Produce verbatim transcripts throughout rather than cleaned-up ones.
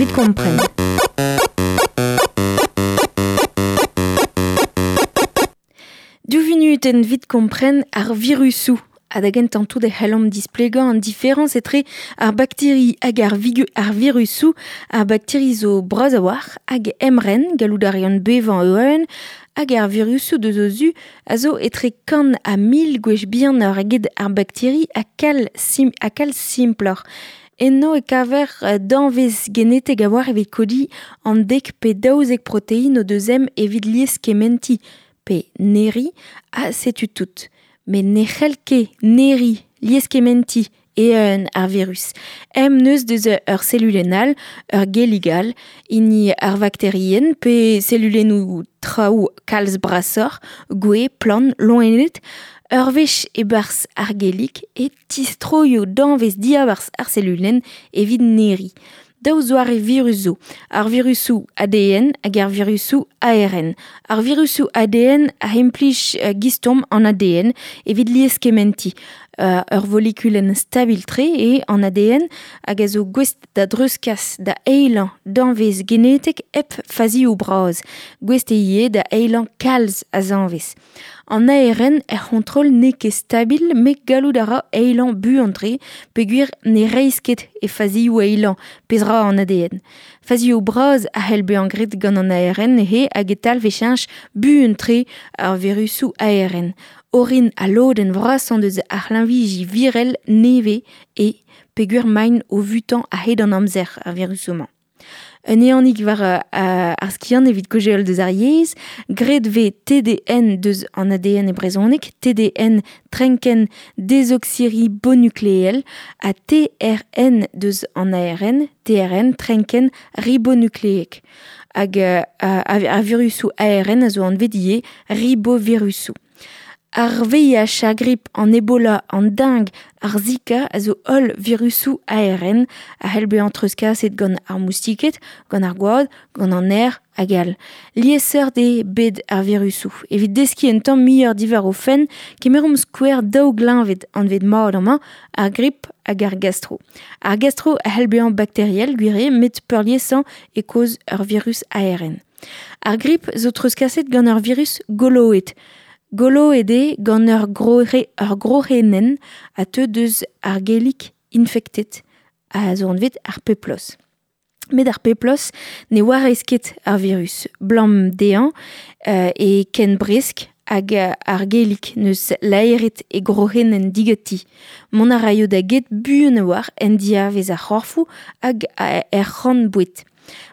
Evit kompren. Div vunutenn evit kompren ar virusoù. Ha da gentañ tout e c'hellomp displegañ an diferañs etre ar bakteri hag ar, vigu, ar virusoù. Ar bakteri zo bras a-walc'h hag emren, gallout a reont bevañ e-unan, hag ar virusoù deus o zu a zo etre kant ha mil gwech bihanoc'h eget ar bakteri ha kalz sim, ha kalz simploc'h. Enno e kaver danvez genetek a-walc'h evit kodiñ an dek pe daouzek protein o deus ezhomm evit lieskementiñ pe neriñ, ha setu tout. Met ne c'hell ket neriñ, lieskementiñ e-unan ar virus. Em neus deus ur selulenn all, ur gellig all, hini ar vakterienn pe selulennoù traoù kalz brasoc'h, gwez, plant, loened. Ur wech e-barzh ar gellig e tistroio danvez diabarzh ar selulenn evit neriñ. Daou zoare virus zo, ar virusoù A D N hag ar virusoù A R N. Ar virusoù A D N a implij gistom an A D N evit lieskementiñ. Uh, ur volekulenn stabil-tre eo an A D N hag a zo gouest da dreuzkas da eilañ danvez genetek hep fazioù bras. Gouest eo ivez da eilañ kalz a zanvez. An A R N er c'hontrol n'eo ket stabil met gallout a ra eilañ buan-tre peogwir ne reizh ket e fazioù eilañ pezh ra an A D N. Fazioù bras a c'hell bezañ graet gant an A R N neuze hag e talv e cheñch buan-tre ar virusoù A R N. Orin a lodenn vrasañ deus ar c'hleñviji virel nevez e peogwir maint o vutañ a-hed an amzer ar virusoù-mañ. Un ehanig war uh, ar skiant evit kaozeal deus ar yezh, graet vez T D N deus an A D N e brezhoneg, T D N trenkenn dezoksiribonukleel ha T R N deus an A R N, T R N trenkenn ribonukleek. Hag uh, ar virusoù A R N a zo anvet ivez ribovirusoù. Ar V I H, ar grip, an Ebola, an dengue, ar Zika a zo holl virusoù A R N a c'hell bezañ treuzkaset gant ar moustiked, gant ar gwad, gant an aer hag all. Liesseurt eo bet ar virusoù. Evit deskiñ un tamm muioc'h diwar o fenn, kemeromp skouer daou gleñved anvet mat amañ, ar grip hag ar gastro. Ar gastro a c'hell bezañ bakteriel, gwir eo, met peurliesañ e kaoz ur virus A R N. Ar grip zo treuzkaset gant ur virus goloet. Goloet eo gant ur grohe, ur grohenenn a teu deus ar gellig infektet a zo anvet ar peplos. Met ar peplos ne warez ket ar virus. Blam dezhañ euh, e ken bresk hag ar gellig neus laeret e grohenenn digati. Mont a raio da get buan a-walc'h en diavez ar c'horfoù hag er c'horn-boued.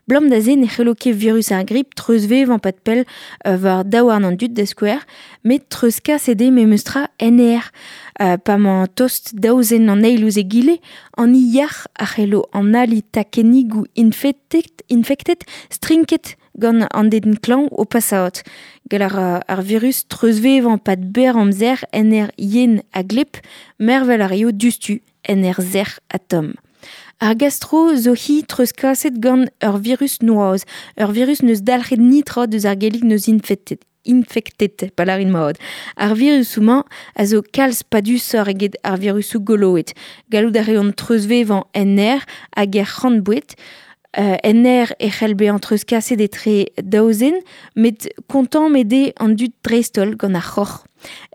Blam da ze ne c'hello ket virus ar grip treuzvevañ pad pell uh, war daouarn an dud da skouer, met treuzkaset eo memestra en aer. Uh, pa mañ tost daouzen an eil ouzh egile, an yac'h a c'hello an ali takennigoù infektet, infektet strinket gant an den klañv o pasaat. Gall ar, ar virus treuzvevañ pad berr amzer en aer yen ha gleb, mervel a raio diouzhtu en aer sec'h ha tomm. Ar gastro zo hi treuzkaset gant ur virus noazh. Ur virus neus dalc'het nitra deus ar gellig neus infektet. Infektet, pa lârin mat. Ar virusoù-mañ a zo kalz padusoc'h eget ar virusoù goloet. Gallout a reont treuzvevañ en aer hag er c'horn-boued. Uh, en aer e c'hell bezañ treuzkaset etre daou zen, met kontammet eo an dud dreist-holl gant ar c'horr.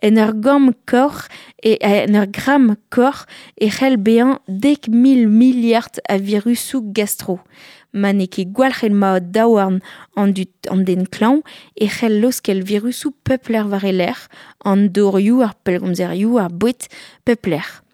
En ur gamm korr e en ur gramm korr e c'hell bezañ dek mil miliard a virusoù gastro. Ma n'eo ket gwalc'het mat daouarn an dud an den klañv e c'hell laoskel virusoù pep lec'h war e lerc'h, an dorioù, ar pellgomzerioù, ar boued, pep lec'h.